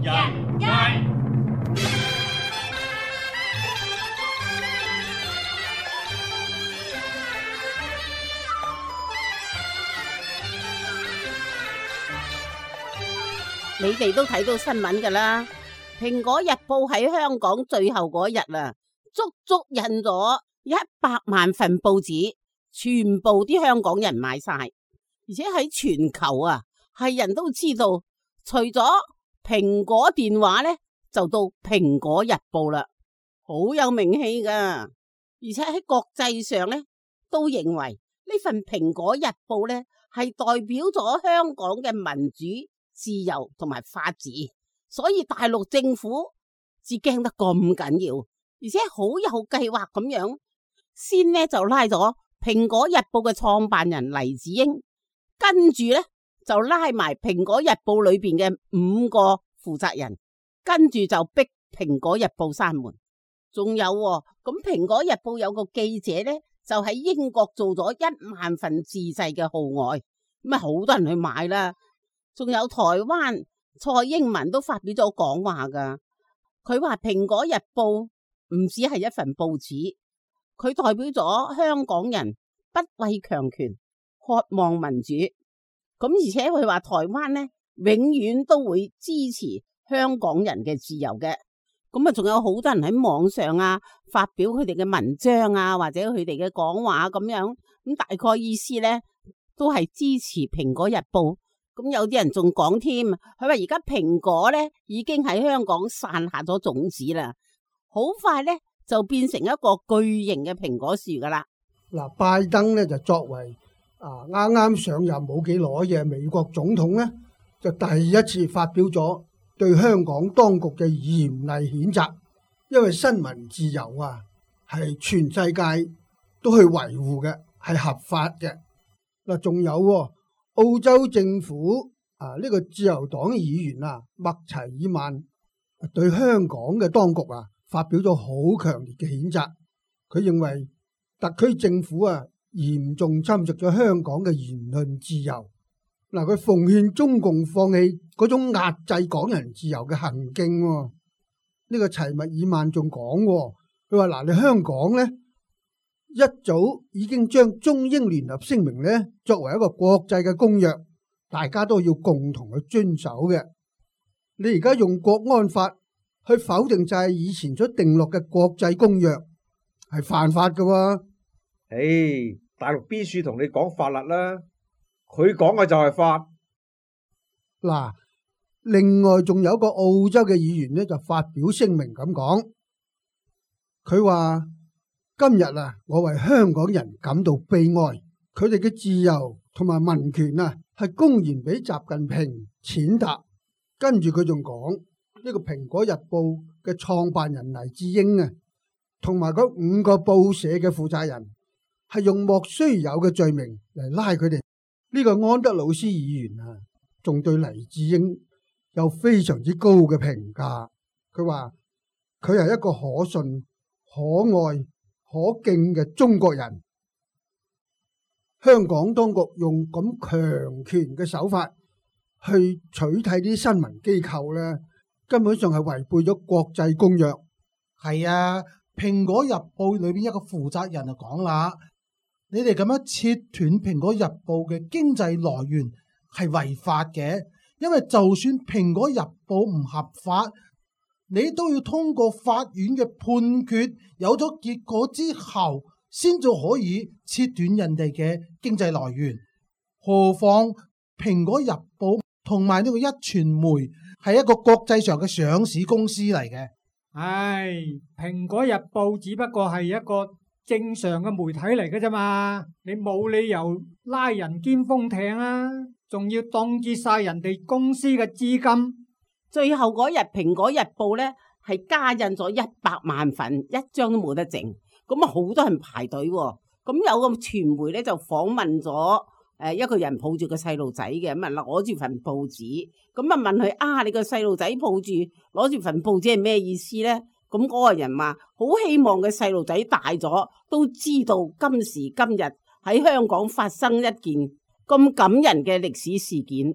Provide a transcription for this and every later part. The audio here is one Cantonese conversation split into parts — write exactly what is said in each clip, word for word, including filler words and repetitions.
人街。你哋都睇到新聞㗎啦，蘋果日報喺香港最後嗰日啦，足足印咗一百萬份報紙，全部啲香港人買晒，而且喺全球啊，係人都知道，除咗蘋果電話呢，就到蘋果日報啦，好有名氣㗎，而且喺國際上呢，都認為呢份蘋果日報呢，係代表咗香港嘅民主、自由同埋法治，所以大陸政府至驚得咁緊要，而且好有計劃咁樣，先呢就拉咗蘋果日報嘅創辦人黎智英，跟住呢就拉埋蘋果日報裏邊嘅五個負責人，跟住就逼蘋果日報閂門。仲有喎，咁蘋果日報有個記者呢，就喺英國做咗一萬份自製嘅號外，咁啊好多人去買啦。仲有台灣蔡英文都發表咗講話噶，佢話蘋果日報唔只係一份報紙，佢代表咗香港人不畏強權，渴望民主。咁而且佢話台灣呢，永遠都會支持香港人嘅自由嘅。咁啊，仲有好多人喺網上啊發表佢哋嘅文章啊，或者佢哋嘅講話咁樣，咁大概意思呢，都係支持蘋果日報。咁有啲人仲講添，佢話而家蘋果咧已經喺香港散下咗種子啦，好快咧就變成一個巨型嘅蘋果樹噶啦。嗱，拜登咧就作為啊啱啱上任冇幾耐嘅美國總統咧，就第一次發表咗對香港當局嘅嚴厲譴責，因為新聞自由啊係全世界都去維護嘅，係合法嘅。嗱，仲有喎。澳洲政府啊，呢、這個自由黨議員啊，麥齊爾曼對香港嘅當局啊，發表咗好強烈嘅譴責。佢認為特區政府啊，嚴重侵蝕咗香港嘅言論自由。嗱、啊，佢奉勸中共放棄嗰種壓制港人自由嘅行徑、啊。呢、這個齊麥爾曼仲講，佢話嗱，你香港咧，一早已經將中英聯合聲明咧作為一個國際嘅公約，大家都要共同去遵守嘅。你而家用國安法去否定就係以前所定落嘅國際公約，係犯法㗎喎。誒，大陸邊處同你講法律啦，佢講嘅就係法。嗱，另外仲有一個澳洲嘅議員咧就發表聲明咁講，佢話。今日啊，我為香港人感到悲哀，佢哋嘅自由同埋民權啊，係公然俾習近平踐踏。跟住佢仲講呢個蘋果日報嘅創辦人黎智英啊，同埋嗰五個報社嘅負責人，係用莫須有嘅罪名嚟拉佢哋。呢個安德魯斯議員啊，仲對黎智英有非常之高嘅評價。佢話佢係一個可信、可愛、可敬嘅中國人。香港當局用咁強權嘅手法去取締啲新聞機構咧，根本上係違背咗國際公約。係啊，蘋果日報裏邊一個負責人就講啦，你哋咁樣切斷蘋果日報嘅經濟來源係違法嘅，因為就算蘋果日報唔合法，你都要通過法院嘅判決，有咗結果之後，先至可以切斷人哋嘅經濟來源。何況蘋果日報同埋呢個一傳媒係一個國際上嘅上市公司嚟嘅。唉，蘋果日報只不過係一個正常嘅媒體嚟嘅啫嘛，你冇理由拉人肩封艇啊，仲要凍結晒人哋公司嘅資金。最後嗰日，蘋果日報咧係加印咗一百萬份，一張都冇得剩。咁啊，好多人排隊喎。咁有個傳媒咧就訪問咗誒一個人抱住個細路仔嘅，咁啊攞住份報紙，咁啊問佢啊，你個細路仔抱住攞住份報紙係咩意思咧？咁嗰個人話好希望個細路仔大咗都知道今時今日喺香港發生一件咁感人嘅歷史事件。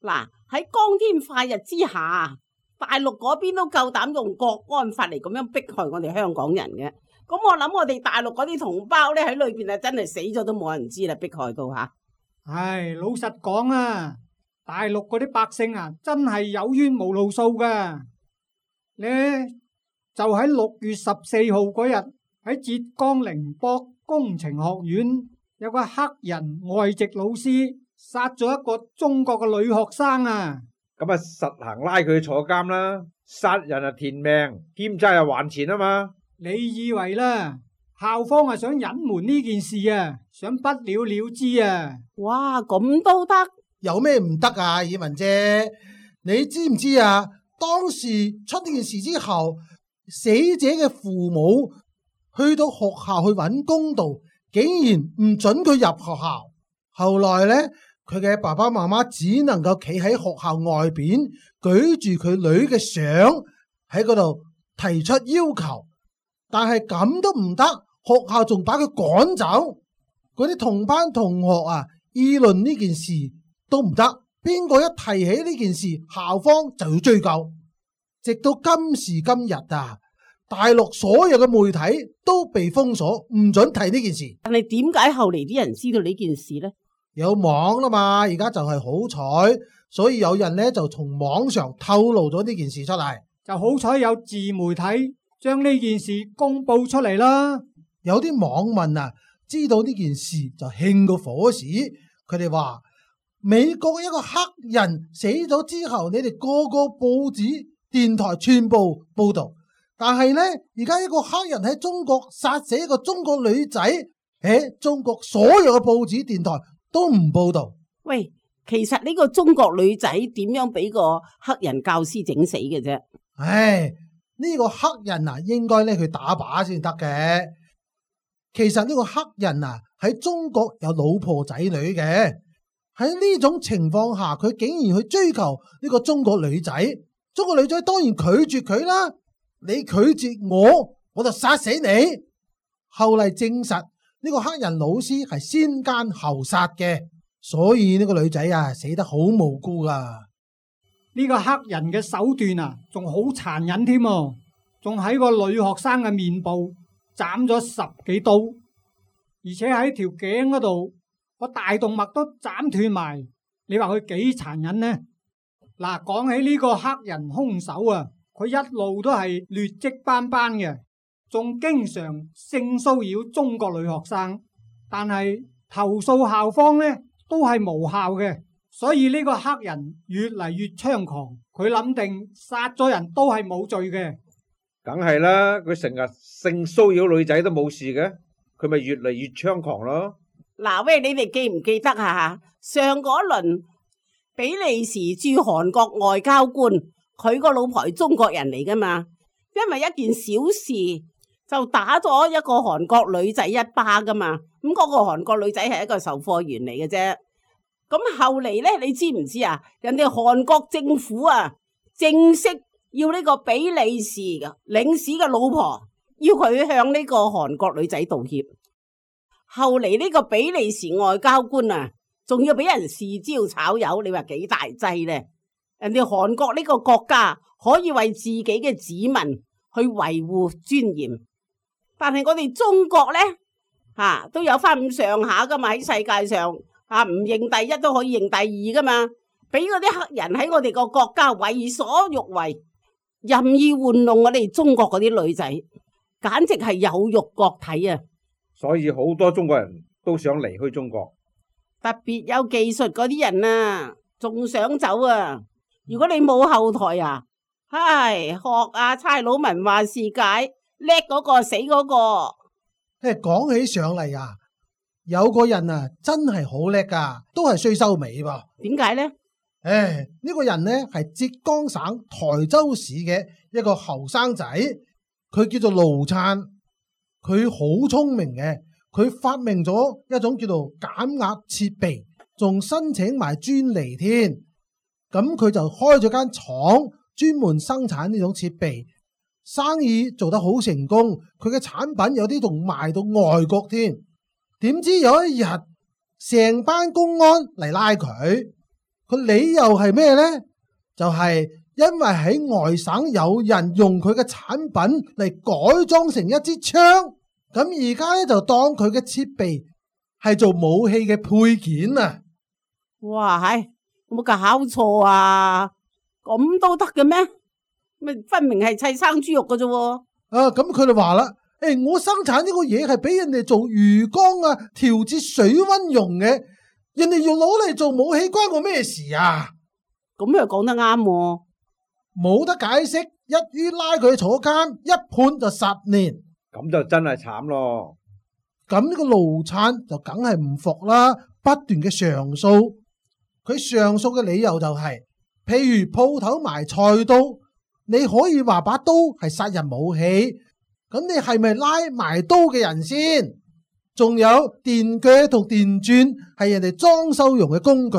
嗱，喺光天化日之下，大陸嗰邊都夠膽用國安法嚟咁樣迫害我哋香港人嘅。咁我諗我哋大陸嗰啲同胞咧喺裏邊啊，真係死咗都冇人知啦，迫害到吓。唉，老實講啊，大陸嗰啲百姓啊，真係有冤無路訴噶。咧就喺六月十四號嗰日，喺浙江寧波工程學院有個黑人外籍老師殺咗一個中國嘅女學生啊。咁啊，實行拉佢去坐監啦，殺人啊填命，欠債又還錢啊嘛。你以為啦，校方係想隱瞞呢件事啊，想不了了之啊？哇，咁都得？有咩唔得啊？以文姐，你知唔知啊？當時出呢件事之後，死者嘅父母去到學校去揾公道，竟然唔准佢入學校。後來呢，佢嘅爸爸媽媽只能夠企喺學校外邊，舉住佢女嘅相喺嗰度提出要求，但係咁都唔得，學校仲把佢趕走。嗰啲同班同學啊，議論呢件事都唔得，邊個一提起呢件事，校方就要追究。直到今時今日啊，大陸所有嘅媒體都被封鎖，唔准提呢件事。但係點解後嚟啲人知道呢件事呢？有網啦嘛，而家就係好彩，所以有人呢就從網上透露咗呢件事出嚟，就好彩有自媒體將呢件事公布出嚟啦。有啲網民啊，知道呢件事就興過火屎，佢哋話美國一個黑人死咗之後，你哋個個報紙、電台全部報道，但係呢，而家一個黑人喺中國殺死一個中國女仔，喺中國所有嘅報紙、電台都唔報道。喂，其實呢個中國女仔點樣俾個黑人教師整死嘅啫？唉，呢個黑人啊，應該咧去打靶先得嘅。其實呢個黑人啊喺中國有老婆仔女嘅，喺呢種情況下，佢竟然去追求呢個中國女仔，中國女仔當然拒絕佢啦。你拒絕我，我就殺死你。後嚟證實呢個黑人老師係先奸後殺嘅，所以呢個女仔啊死得好無辜噶。呢個黑人嘅手段啊，仲好殘忍添，仲喺個女學生嘅面部斬咗十幾刀，而且喺條頸嗰度個大動脈都斬斷埋。你話佢幾殘忍呢？嗱，講起呢個黑人兇手啊，佢一路都係劣跡斑斑嘅，仲經常性騷擾中國女學生，但係投訴校方呢都係無效嘅，所以呢個黑人越嚟越猖狂。佢諗定殺咗人都係冇罪嘅，梗係啦，佢成日性騷擾女仔都冇事嘅，佢咪越嚟越猖狂咯。嗱喂，你哋記唔記得啊？上嗰輪比利時駐韓國外交官，佢個老婆係中國人嚟噶嘛？因為一件小事就打咗一個韓國女仔一巴噶嘛。咁嗰個韓國女仔係一個售貨員嚟嘅啫。咁後嚟呢，你知唔知啊？人哋韓國政府啊，正式要呢個比利時嘅領事嘅老婆，要佢向呢個韓國女仔道歉。後嚟呢個比利時外交官啊，仲要俾人示招炒魷，你話幾大劑呢？人哋韓國呢個國家可以為自己嘅子民去維護尊嚴，但係我哋中國呢，吓、啊、都有翻咁上下噶嘛，喺世界上啊唔認第一都可以認第二噶嘛，俾嗰啲黑人喺我哋個國家為所欲為，任意玩弄我哋中國嗰啲女仔，簡直係有辱國體啊！所以好多中國人都想離開中國，特別有技術嗰啲人啊，仲想走啊！如果你冇後台啊，唉，學啊差佬文話事解，叻嗰個死嗰個。誒，講起上嚟啊，有個人啊真係好叻噶，都係衰收尾噃。點解呢？誒，呢個人呢係浙江省台州市嘅一個後生仔，佢叫做盧燦。佢好聰明嘅，佢發明咗一種叫做減壓設備，仲申請埋專利添。咁佢就開咗間廠，專門生產呢種設備，生意做得好成功。佢嘅產品有啲仲賣到外國添。點知有一日，成班公安嚟拉佢，個理由係咩呢？就係因為喺外省有人用佢嘅產品嚟改裝成一支槍，咁而家咧就當佢嘅設備係做武器嘅配件啊！哇，係有冇搞錯啊？咁都得嘅咩？咪分明係砌生豬肉嘅啫喎！啊，咁佢哋話啦，誒，我生產呢個嘢係俾人哋做魚缸啊，調節水溫用嘅，人哋要攞嚟做武器，關我咩事啊？咁又講得啱喎，冇得解釋，一於拉佢坐監，一判就十年。咁就真係慘咯。咁呢個盧燦就梗係唔服啦，不斷嘅上訴。佢上訴嘅理由就係，譬如鋪頭賣菜刀，你可以話把刀係殺人武器，咁你係咪拉埋刀嘅人先？仲有電鋸同電鑽係人哋裝修用嘅工具，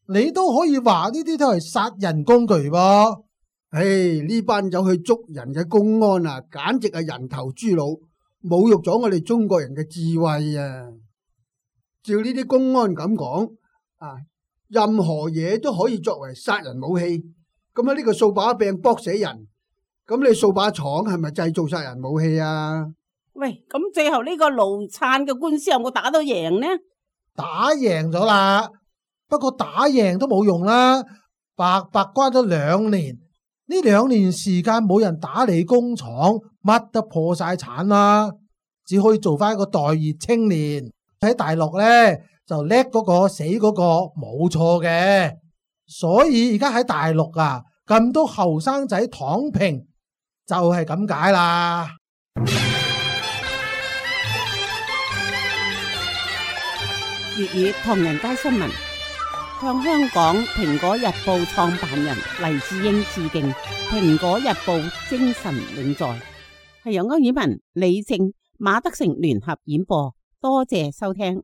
你都可以話呢啲都係殺人工具噃。唉，呢班走去捉人嘅公安啊，簡直係人頭豬腦，侮辱咗我哋中國人嘅智慧啊！照呢啲公安咁講啊，任何嘢都可以作為殺人武器。咁喺呢個掃把柄搏死人，咁你掃把廠係咪製造殺人武器啊？喂，咁最後呢個盧燦嘅官司有冇打到贏呢？打贏咗啦，不過打贏都冇用啦，白白關咗兩年。呢兩年時間冇人打理工廠，乜都破晒產啦，只可以做翻一個待業青年。喺大陸呢，就叻嗰個死嗰個冇錯嘅，所以而家喺大陸啊，咁多後生仔躺平就係咁解啦。粵語唐人街新聞向香港蘋果日報創辦人黎智英致敬，蘋果日報精神永在。係由歐爾文、李正、馬德成聯合演播，多謝收聽。